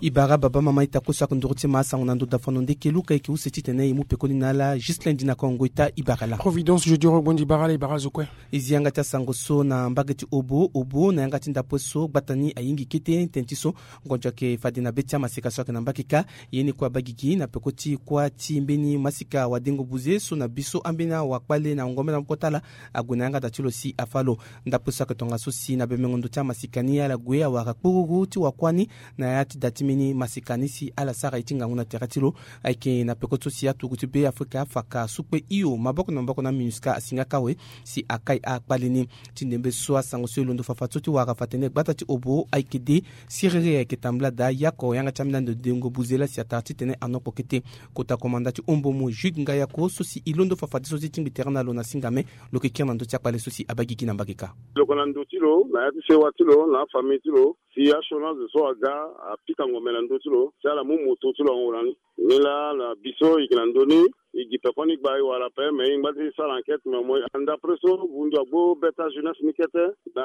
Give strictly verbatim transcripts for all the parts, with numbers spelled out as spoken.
Ibara baba mama ita kue so ake nduru ti ma asango na ndo dafono ndeke luka eke use titene imu pekoni na ala juste lundi na kongo ita ibara la. Providence je diro gbondi ibara la ibara zo kue. Izi yanga ti asango so na mbage ti obo obo na yanga ti ndapue so gbata ni ayingi kete tene ti so ngonjo ake fade na be ti amasika so ake na mbage ka. Ye ni kue abagigi na peko ti kuâ ti mbeni masika wadengo buze so na bi so ambeni awakpale na ngombe na moko ti ala ague na yanga da ti lo si afa lo. Ndapue so ake tongaso si na bemengo ndo ti amasika ni ala gue awara kpururu ti wakuâ ni na ya ti da ti mbeni masika ni si ala sara ye ti ngangu na tere ti lo. Ayeke na peko so si aturugu ti be afrika afaka sukpe hio maboko na maboko na minusca asinga kawe si akai akpale ni. Ti ndembe so asango so e londo fafa so ti wara fa tene gbata ti obo ayeke de siriri ayeke tambula daa yako yanga ti ambeni ande dengo buze laa si atara titene anokpo kete. Kota komanda ti ombo mu jude ngayako so si e londo fafa ti so ti tingbi tere na lo na singame. Lo yeke kiri na ndö ti akpale so si abaa gigi na mbage kâ. Lo yeke na ndo ti lo na ya ti sewa ti lo na afamille ti lo si asioni azo so aga apika ngombe na ndö ti lo si ala mu moto ti lo ahon na ni. Ni laa na bi so e yeke na ndö ni e gi pekoni gba e wara ape me e ngba ti sara enquête me mo. Ndapre so vundu agbo be ti ajeunesse ni kete na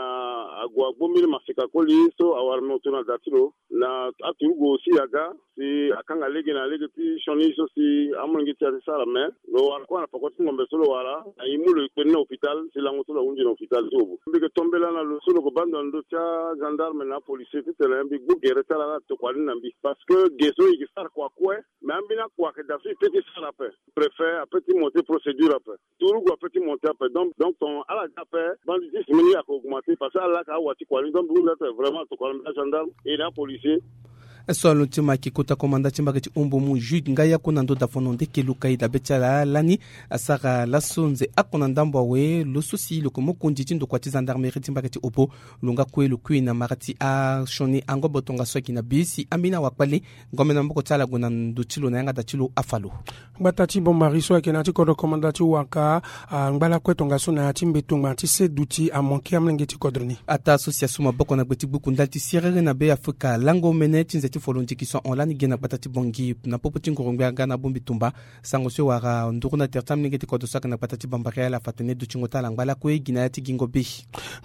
ague agbo mbeni masika koli so awara moto na da ti lo. Na aturugu aussi aga si akanga lege na lege ti sioni so si amolenge ti ya ti sara me lo wara kue na peko ti ngombe so lo wara na e mu lo e kpe ni na hôpital si lango so lo ahunzi na hôpital ti obo. Mbi yeke tombela na lo so lo yeke baa ndo na ndö ti agendarme na apolisier titene mbi gbu gere ti ala laa atokua ni na mbi parce que ge so e yeke sara kua kue. Mais ambeni akua ayeke daa so e pe ti sara ape. Préfet ape ti monter procédure ape. Turugu ape ti monter ape donc donc ton ala ga ape. Banditisme ni ayeke augmenter parce que ala laa ka awa ti kua ni donc mbi hunda ti vraiment atokua na mbi agendarme et na apolisier. So alondo ti ma ayeke kota komanda ti mbage ti ombo mu jude ngayako na ndo dafono ndeke luka e dabe ti ala lani. Asara laso nze oko na ndambo awe lo so si lo yeke mokonzi ti ndokua ti gendarmerie ti mbage ti obo. Lo nga kue lo kui na mara ti asioni angobo tongaso ayeke na be si ambeni awakpale ngombe na maboko ti ala ague na ndo ti lo na yanga da ti lo afa lo. Gbata ti bombari so ayeke na ya ti kodro komanda ti waka angba lakue tongaso na ya ti mbeto ngbanga ti se duti amanke amolenge ti kodro ni. Ataa so si asu maboko na gbe ti gbuku ndali ti siriri na be afrika lango mene ti nze ti folo ndiki so ahon lani ge na gbata ti bongi na popo ti nguru-ngbia nga na bongbi tumba. Sango so e wara nduru na tere ti amolenge ti kodro so ayeke na gbata ti bombari ala fa tene dutingo ti ala angba lakue gi na ya ti gingo be.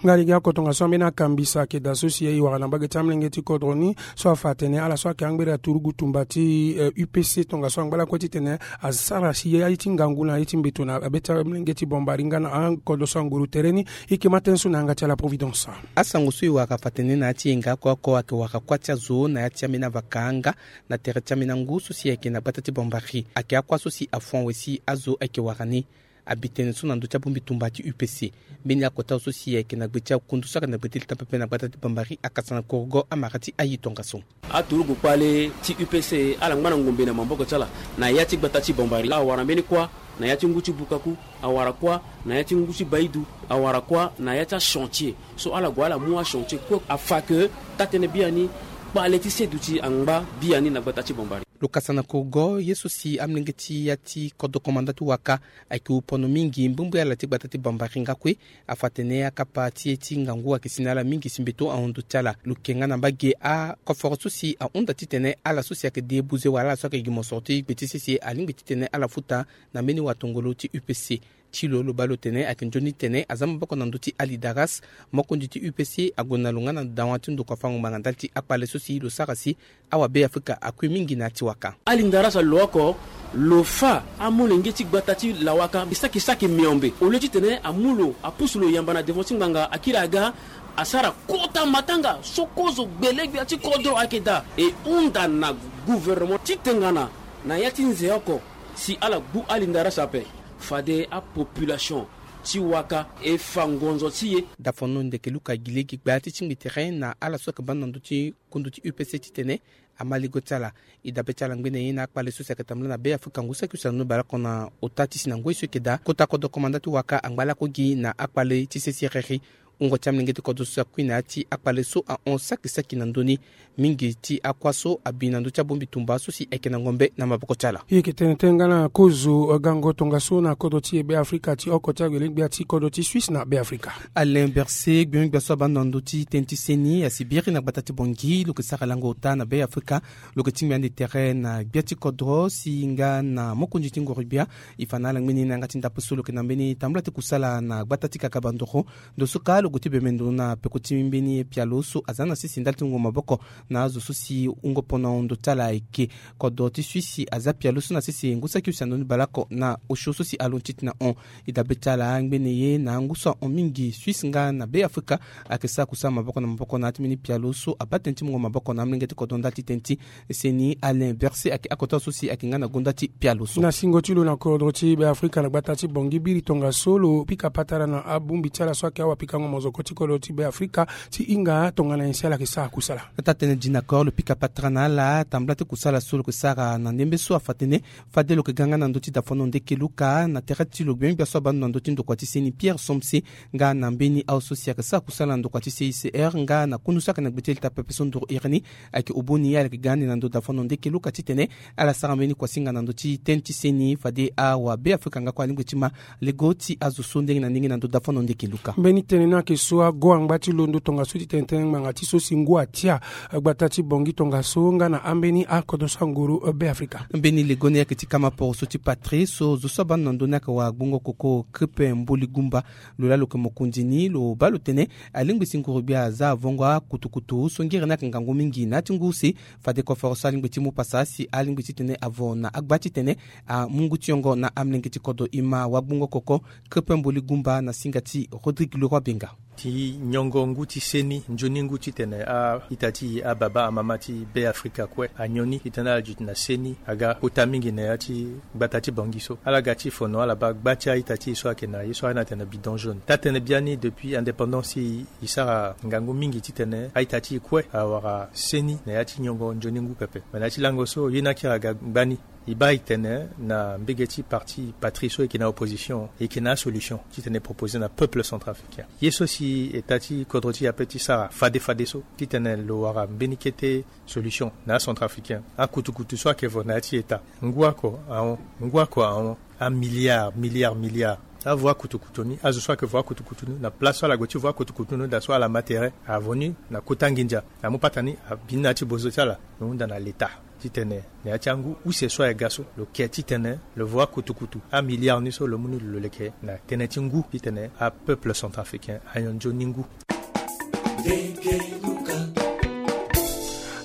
Nga lege oko tongaso ambeni akambisa ayeke daa so si e wara na mbage ti amolenge ti kodro ni so afa atene ala so ayeke angbere aturugu tumba ti upc tongaso angba lakue titene asara si ye aye ti ngangu na ye ti mbeto na be ti amolenge ti bombari nga na akodro so anguru tere ni. E yeke ma tënë so na yanga ti ala providence. Asango so e wara fa tene na ya ti yenga oko oko ayeke wara kuâ ti azo na ya ti ambeni avaka nga na tere ti ambeni angu so si ayeke na gbata ti bombari ayeke akuâ so si afon awe si azo ayeke wara ni. Abi tënë so na ndö ti abongbi tumba ti upc. Mbeni akota so si ayeke na gbe ti akundu so ayeke na gbe ti leta pepe na gbata ti bombari akasa na korogo amara ti aye tongaso. Aturugu kpale ti upc ala ngba na ngombe na maboko ti ala na ya ti gbata ti bombari awara mbeni kuâ na ya ti ngu ti bukaku, awara kuâ na ya ti ngu ti baidu, awara kuâ na ya ti achantier. So ala gue ala mu achantier kue afa ke taa-tënë biani kpale ti seduti angba biani na gbata ti bombari. Lo kasa na korogo ye so si amolenge ti ya ti kodro komanda ti waka ayeke wu pono mingi mbumbui ala ti gbata ti bombari nga kue. Afa tene akapa ti e ti ngangu ayeke si na ala mingi si mbeto ahon ndo ti ala lo yeke nga na mbage akoforo so si ahunda titene ala so si ayeke de buze wala ala so ayeke gi mosoro ti gbe ti sese alingbi titene ala futa na mbeni watongolo ti upc. Ti lo lo baa lo tene ayeke nzoni tene aza maboko na ndö ti alidaras mokonzi ti upc ague na lo nga na dawa ti ndokua fango ngbanga ndali ti akpale so si lo sara si awabe afrika akui mingi na ya ti waka. Alinda rasa lo oko lo fa amolenge ti gbata ti lawaka e saki saki miombe au lieu titene amu lo apusu lo yamba na devant ti ngbanga akiri aga asara kota matanga so kozo gbelegbia ti kodro ayeke daa e hunda na gouvernement ti tengana na ya ti nze oko si ala gbu alinda rasa ape fade apopulation ti waka e fa ngonzo ti e. Dafono ndeke luka gi lege gbaa ti tingbi tere na ala so ayeke baa na ndö ti kundu ti upc titene ama ligo ti ala. E dabe ti ala ngbene ye na akpale so si ayeke tambula na be afrika ngu saki use na nono baleoko na ota ti si na ngoi so eke daa kota kodro komanda ti waka angba lako gi na akpale ti sesiriri. Wungo ti amolenge ti kodro so akui na ya ti akpale so ahon saki saki na ndö ni. Mingi ti akua so abi na ndö ti abongbi tumba so si ayeke na ngombe na maboko ti ala. E yeke tene tënë nga na kozo gango tongaso na kodro ti e be afrika ti oko ti agbelengbia ti kodro ti suisse na be afrika. Alain berse gbengbia so abaa na ndö ti tënë ti seni asi biri na gbata ti bongi lo yeke sara lango ota na be afrika. Lo yeke tingbi ande tere na gbia ti kodro si nga na mokonzi ti ngoro-gbia. E fa na ala ngbeni na yanga ti ndapre so lo yeke na mbeni tambula ti kusala na gbata ti kakabandoro. Ndo so ka Gue ti bembe ndo na peko ti mbeni pialo so aza na sese ndali ti mungo maboko na azo so si wungo pono ndo ti ala ayeke. Kodro ti Suisse aza pialo so na sese ngu saki use na ndo ni baleoko na osio so si alondo ti tena hon. E dabe ti ala ngbene ye na angu so ahon mingi Suisse nga na Be Afrika ayeke sara kusala maboko na maboko na ya ti mbeni pialo so abaa tënë ti mungo maboko na amolenge ti kodro ndali ti tënë ti seni Alain Berset ayeke akota so si ayeke nga na gonda ti pialo so. Na singo ti lo na kodro ti Be Afrika na gbata ti Bangui biri tongaso lo pika patara na abongbi ti ala so ayeke awapikango mozoko ti kodro ti Be Afrika ti hinga tongana nyen si ala yeke sara kusala. Taa-tënë Jean Accor lo pika patara na ala tambula ti kusala so lo yeke sara na ndembe so afa tënë fade lo yeke ga nga na ndö ti dafano ndeke luka na tere ti lo gbia gbia so abaa ndo na ndö ti ndokua ti seni Pierre Somse nga na mbeni azo so si ayeke sara kusala na ndokua ti C I C R nga na kundu so ayeke na gbe ti leta pepe so nduru iri ni. Ayeke oboni ala yeke ga ande na ndö dafano ndeke luka titene ala sara mbeni kuasinga na ndö ti tënë ti seni fade awa Be Afrika nga kue alingbi ti ma lego ti azo so ndenge na ndenge na ndö dafano ndeke luka. Mbeni tënë ni ayeke so ago angba ti londo tongaso titene tënë ngbanga ti so si ngu atia gbata ti Bangui tongaso nga na ambeni akodro so anguru Be Afrika. Mbeni lego ni ayeke ti kama poro so ti patrie so zo so abaa ndo na ndö ni ayeke wara gbongo koko Kripe Mboli Gumba. Lo laa lo yeke mokonzi ni lo baa lo tene alingbi si nguru gbia aza avongo akutukutu so ngere ni ayeke ngangu mingi na ya ti ngu use. Fade koforo so alingbi ti mu pasa si alingbi titene avo na agba titene amu ngu ti yongo na amolenge ti kodro. E ma wagbongo koko Kripe Mboli Gumba na singa ti Rodrigue Leroy Benga. Ti nyongo ngu ti seni nzoni ngu titene a-ita ti e ababa amama ti Be Afrika kue anyon ni titene ala duti na seni aga kota mingi na ya ti gbata ti Bangui so. Ala ga ti fono ala baa gba ti a-ita ti e so ayeke na ye so a na tene bidon jaune. Taa-tënë biani depuis indépendance ti e e sara ngangu mingi titene a-ita ti e kue awara seni na ya ti nyongo nzoni ngu pepe. Me na ya ti lango so ye ni akiri aga gbani. E baa e tene na mbege ti parti patrie so e yeke na opposition e yeke na asolution titene e proposer na peuple centrafricain. Ye so si eta ti kodro ti e ape ti sara fade fade so titene lo wara mbeni kete solution na acentrafricain. Akutukutu so ayeke vo na ya ti eta ngu oko ahon, ngu oko ahon, amilliard, milliard, milliard. Avo akutukutu ni, azo so ayeke vo akutukutu ni na place so ala gue ti vo akutukutu ni daa so ala ma tere avo ni na kota nginza. Amu pata ni abi ni na ya ti bozo ti ala lo hunda na leta titene na ya ti angu use so aye ga so lo ke titene lo vo akutukutu amilliard ni so lo mu ni lo leke na tënë ti ngu titene apeuple centrafricain anyon nzoni ngu.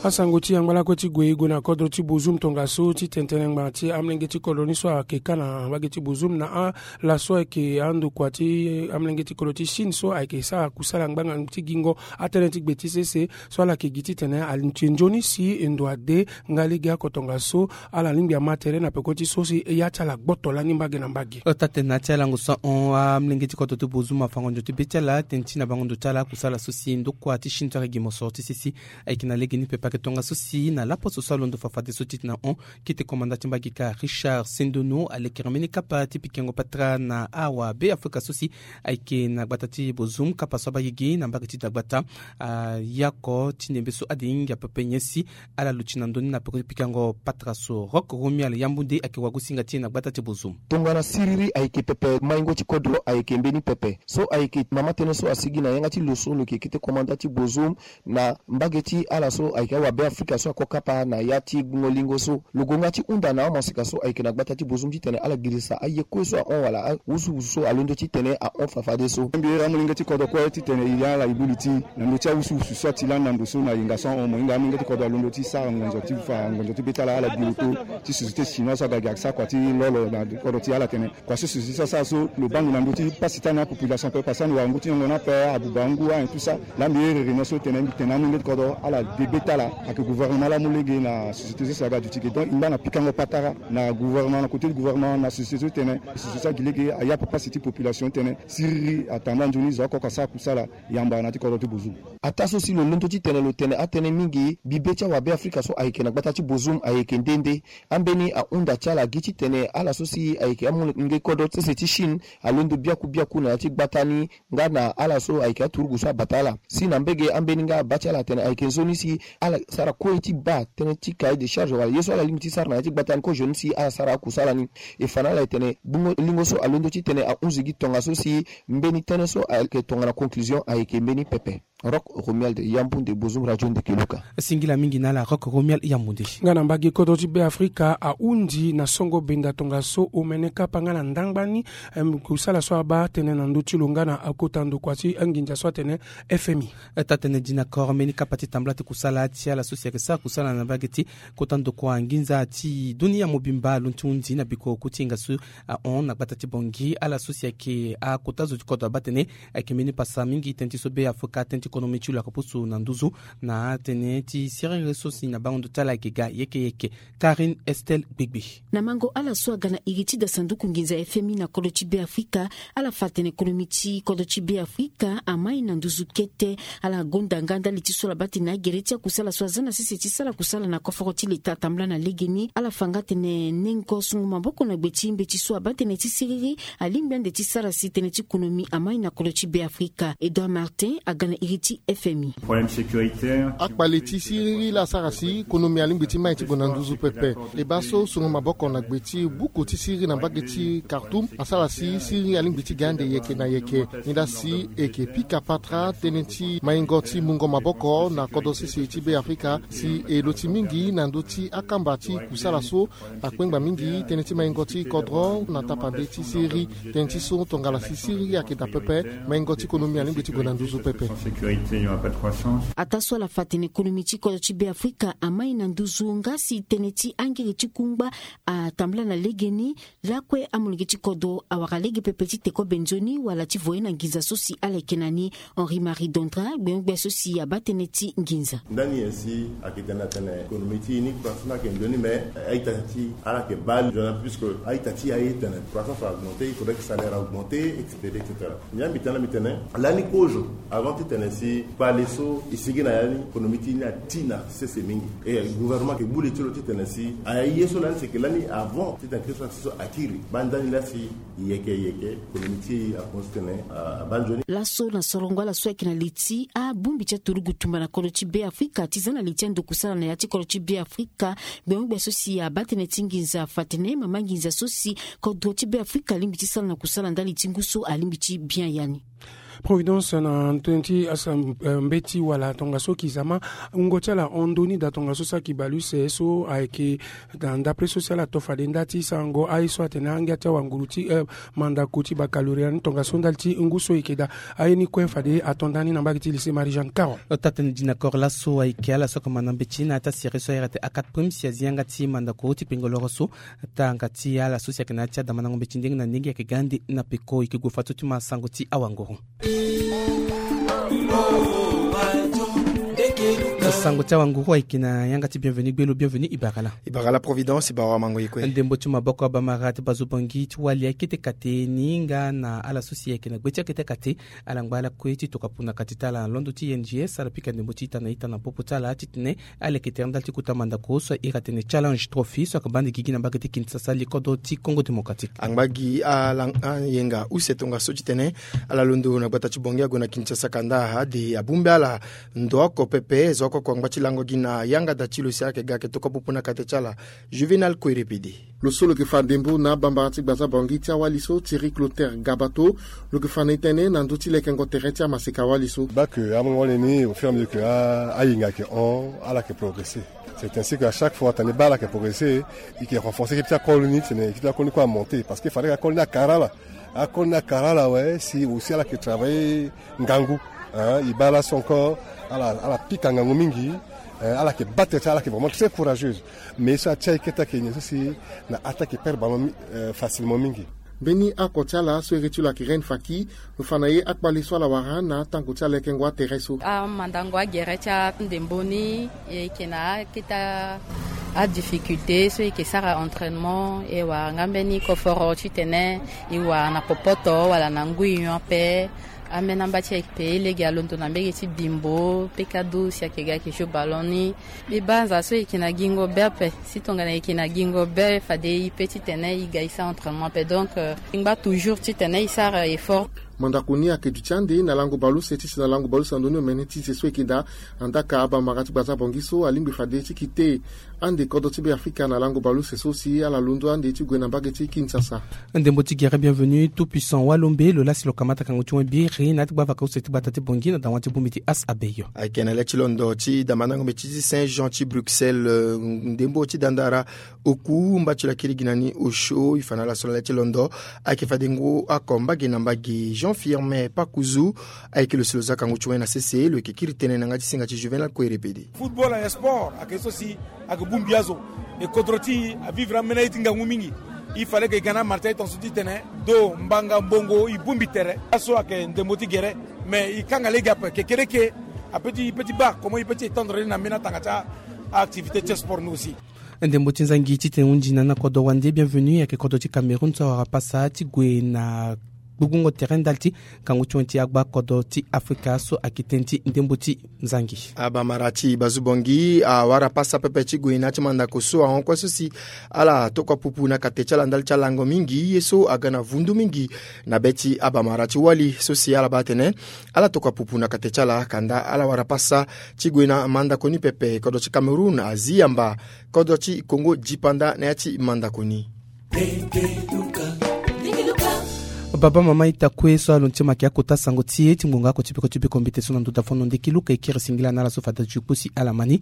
Asango ti yangba lakue ti gue e gue na kodro ti Bozoum tongaso titene tënë ngbanga ti amolenge ti kodro ni so ayeke ka na mbage ti Bozoum na ala so ayeke andokua ti amolenge ti kodro ti Chine so ayeke sara kusala ngbanga ti gingo atënë ti gbe ti sese so ala yeke gi titene alinti nzoni si e ndo ade nga lege oko tongaso ala lingbi ama tere na peko ti so si ya ti ala gboto lani mbage na mbage. Taa-tënë na ya ti alango so ahon amolenge ti kodro ti Bozoum afa ngonzo ti be ti ala tënë ti na bango ndo ti ala akusala so si ndokua ti Chine so ayeke gi mosoro ti sese. Ayeke na lege ni pepe ayeke tongaso si na laposo so alondo fa fadeso titene ahon kete komanda ti mbage kâ Richard Sendono alekere mbeni kapa ti pikango patara na awa Be Afrika so si ayeke na gbata ti Bozoum kapa so abaa gigi na mbage ti dagbata. Ayako ti ndembe so ade hinga pepe nyen si ala luti na ndö ni na peko ti pikango patara so. Rock Romuald Yambunde ayeke wagosinga ti e na gbata ti Bozoum. Tongana siriri ayeke pepe maingo ti kodro ayeke mbeni pepe so ayeke mama tënë so asigi na yanga ti lo so lo yeke kete komanda ti Bozoum na mbage ti ala so ayeke awa Be Afrika so ako kapa na ya ti gbungo lingo so. Lo gonga ti hunda na amaseka so ayeke na gbata ti Bozoum titene ala girisa aye kue so ahon wala awusuwusu so alondo titene ahon fa fadeso. Mbi iri amolenge ti kodro kue titene e ya ala e bu li ti na ndö ti awusuwusu so ati lani na ndo so na yenga so ahon mo hinga amolenge ti kodro alondo ti sara ngonzo ti fa ngonzo ti be ti ala ala bi lo to ti société chinoise so aga gi asara kua ti lolo na kodro ti ala tene. Kua so société so asara so lo baa ndo na ndö ti pasi ti ala na apopulation ape pasi ande wara ngu ti nyongo ni ape abuba ngu ayen tout ça. Laa mbi iri réunion so tene mbi tene na amolenge ti kodro ala de be ti ala ayeke gouvernement laa amu lege na société so si aga duti ge donc e ngba na pikango patara na gouvernement na côté ti gouvernement na société so tene société so agi lege aya ape pasi ti population tene siriri atambula nzoni zo oko oko asara kusala yamba na ya ti kodro ti Bozoum. Ataa so si lo londo titene lo tene atënë mingi mbi be ti awa Be Afrika so ayeke na gbata ti Bozoum ayeke nde nde. Ambeni ahunda ti ala gi titene ala so si ayeke amolenge kodro sese ti Chine alondo biaku biaku na ya ti gbata ni nga na ala so ayeke aturugu so abata ala si na mbege ambeni nga abaa ti ala atene ayeke nzoni si ala sara kue ti baa tënë ti cahier de charge wala ye so ala lingbi ti sara na ya ti gbata ni kozoni si ala sara akusala ni. E fa na ala e tene gbungo lingo so alondo titene ahunzi gi tongaso si mbeni tënë so ayeke tongana conclusion ayeke mbeni pepe. Rock Romuald Yambunde, Bozum Radio Ndeke Luka. Singila mingi na ala Rock Romuald Yambunde. Nga na mbage kodro ti Be Afrika ahundi na songo benda tongaso omene kapa nga na ndangba ni, em, kusala so abaa tene na ndö ti lo nga na akota ndokua ti anginza so atene F M I. Taa tene dinaccord mbeni kapa ti tambula ti kusala ti ala so si ayeke sara kusala na mbage ti kota ndokua nginza ti dunia mobimba alondo ti hundi na bikoro ku ti hinga so ahon na gbata ti Bangui. Ala so si ayeke akota zo ti kodro abaa tene ayeke mbeni pasa mingi tënë ti so Be Afrika, tënë ti konomi ti lo ayeke pusu na nduzu na atene ti siriri so si na bango ndo ti ala ayeke ga yeke yeke. Karine Estelle Gbegbe. Na mango ala so aga na iri ti da sanduku nginza F M I na kodro ti Be Afrika, ala fa atene konomi ti kodro ti Be Afrika amai na nduzu kete. Ala gonda nga ndali ti so ala baa tene agere ti akusala so aza na sese ti sara kusala na koforo ti leta atambula na legeni. Ala fa nga tene nengo sungo maboko na gbe ti mbeti so abaa tene ti siriri alingbi ande ti sara si tënë ti konomi amai na kodro ti Be Afrika. Edouard Martin aga na iri ti F M I. Problème sécuritaire. Akpale ti siriri laa asara si konomi alingbi ti mai ti gue na nduzu pepe. E baa so sungo maboko na gbe ti buku ti siriri na mbage ti Khartoum asara si siriri alingbi ti ga ande yeke na yeke. Ni laa si e yeke pika patara tënë ti maingo ti mungo maboko na kodro sese ti Be Afrika si e loti mingi na ndö ti akamba ti kusala so akpengba mingi tënë ti maingo ti kodro na tapande ti siriri. Tënë ti so tongana si siriri ayeke daa pepe, maingo ti konomi alingbi ti gue na nduzu pepe. Ataa so ala fa atene konomi ti kodro ti Be Afrika amai na nduzu nga si tënë ti angiri ti kungba atambula na legeni, lakue amolenge ti kodro awara lege pepe ti te kobe nzoni wala ti voye na nginza so si ala yeke na ni. Henri Marie Dondra, gbengo-gbia so si abaa tënë ti nginza. Ndani nyen si ayeke tene atene économie ti e ni croissance ni ayeke nzoni, mais a-ita ti ala ayeke baa nzoni puisque a-ita ti e aye tene croissance a augmenter, il faudrait que salaire a augmenter, et cetera, et cetera. Nyen mbi tene, mbi tene lani kozo avant ti tene si kpale so e sigi na ya ni, économie ti e ni ati na sese mingi. E gouvernement ayeke gbu le ti lo ti tene si aye so lani, c'est que lani avant ti tene kiri so akiri baa ndani laa si yeke yeke, konomi ti e akonzi tene abaa nzoni. Laso na sorongo ala so ayeke na li ti abongbi ti aturugu tumba na kodro ti Be Afrika ti za na li ti ando kusala na ya ti kodro ti Be Afrika. Gbengo-gbia so si abaa tënë ti nginza afa atene mama nginza so si kodro ti Be Afrika alingbi ti sara na kusala ndali ti ngu so alingbi ti bien ya ni. Providence na tënë ti asa, eh, mbeti wala tongaso kizama wungo ti ala hon ndoni daa tongaso saki bale use so ayeke na ndapre so si ala to fade nda ti sarango aye so atene angia ti awanguru ti, eh, mandako ti baccalauréat ni tongaso ndali ti ngu so e yeke daa. Aye ni kue fade ato nda ni na mbage ti lycée Marie-Jeanne Caron. Taa tënë dinaccord laso ayeke ala so ayeke ma na mbeti na ya ti asere so ahiri atene A quatre Prime si azi yanga ti mandako ti kpengo loro so. Tanga ti ala so si ayeke na ya ti adamandango mbeti ndenge na ndenge ayeke ga ande na peko, e yeke gue fadeso ti ma sango ti awanguru. Sango ti awanguru ayeke na yanga ti Bienvenu Gbelo. Bienvenu, e bara laa. E bara laa Providence, e bara wamango ye kue. Ndembo ti maboko abamara ti bazo Bangui ti wali akete kate ni nga na ala so si ayeke na gbe ti akete kate. Ala ngba lakue ti tokua puna kate ti ala na londo ti I N G S, ala pika ndembo ti ita na ita na popo ti ala titene ala yeke tere ndali ti kota mandako so ahiri atene Challenge Trophy so ayeke baa ande gigi na mbage ti Kinshasa, li kodro ti Congo Démocratique. Angba gi ala ayenga use tongaso titene ala londo na gbata ti Bangui ague na Kinshasa kanda ade abongbi ala ndo oko pepe. Zo oko oko angba ti lango gi na yanga da ti lo si ayeke ga ayeke tokua popo na kate ti ala. Juvenal Kouerepede. Lo so lo yeke fa ndembo na abambara ti gbaza Bangui ti awali so, Thierry Clotaire Gabato, lo yeke fa na e tënë na ndö ti lekengo tere ti amaseka wali so. Baa ke amongo wali ni, au fur et à mesure que a, ayenga ayeke hon, ala yeke progresser. C'est ainsi que à chaque fois tene baa ala yeke progresser, e yeke renforcer ekipe ti akolo ni, titene ekipe ti akolo ni kue amonter. Parce que fade akolo ni akara ala, akolo ni akara ala awe, si aussi ala yeke travailler ngangu, hein, e baa laso encore ala, ala pika ngangu mingi, hein, ala yeke battre ti ala, ala yeke vraiment très courageuse. Mais so atia e kete ayeke nyen so si na attaque e perdre ballon mi-, euh, facilement mingi. Mbeni oko ti ala so iri ti lo ayeke Reine Faki, lo fa na e akpale so ala wara na atango ti alekengo atere so. Amandango agere ti andembo ni, e yeke na akete adifficulté so e yeke sara entraînement, e wara nga mbeni koforo titene e wara na popoto wala na ngui nyon ape. Ambeni amba ti e ape lege alondo na mbege ti Bimbo, Pekado, si ayeke ga ayeke jeu ballon ni. Mbi banza so e yeke na gingo be ape, si tongana e yeke na gingo be fade e peut titene e ga e sara entraînement ape. Donc, euh, e ngba toujours titene e sara effort. Mandako ni ayeke duti ande na lango baleuse ti si na lango baleuse na ndoni omene ti ze so eke daa. Andaa ka abamara ti gbaza bongi so alingbi fade ti kite ande kodro ti be afrika na lango baleuse so si ala londo ande ti gue na mbage ti Kinshasa. Ndembo ti gere Bienvenu Tout Puissant Walombe lo lasi lo kamata kango ti wen biri na ya ti gbavaka use ti gbata ti bongi na dawa ti bongbi ti As Abeyo. Ayeke na le ti londo ti damandango mbeti ti Saint Jean ti Bruxelles, ndembo ti dandara oku mba ti lakiri gi na ni osio e fa na ala so na le ti londo. Ayeke fadengo ako mbage na mbage Jean Firmin Pakuzu. Ayeke lo si lo za kango ti wen na sese lo yeke kiri tënë na yanga ti singa ti Juvenal Kuerepede. Football ayeke sport ayeke so si ayeke bongbi azo. E kodro ti e avivre amena ye ti ngangu mingi. E fale ke e ga na amara ti aye tongaso ti tene do mbanga mbongo e bongbi tere aso ayeke ndembo ti gere. Mais e kanga lege ape kekereke ape ti e pe ti baa comment e pe ti étendre ni na mbeni atanga ti aactivité ti sport ni aussi. Ndembo ti nzangi titene hunzi na na kodro wande Bienvenu ayeke kodro ti Cameroun so awara pasa ti gue na gbugbungo tere ndali ti kangu ti wen ti agba kodro ti Afrika so ayeke tënë ti ndembo ti nzangi. Abamara ti bazu bongi awara pasa pepe ti gue na ya ti mandako so ahon kue so si ala tokua pupu na kate ti ala ndali ti alango mingi ye so aga na vundu mingi na be ti abamara ti wali so si ala baa atene ala tokua pupu na kate ti ala kanda ala wara pasa ti gue na mandako ni pepe. Kodro ti Cameroun azi yamba kodro ti Congo dipanda na ya ti mandako ni. Baba mama ita kue so alondo ti ma ayeke akota sango ti e ti ngbonga ako ti beko ti beko mbete so na ndota fono ndeki luka e kiri singila na ala so fade ti kposi ala ma ni.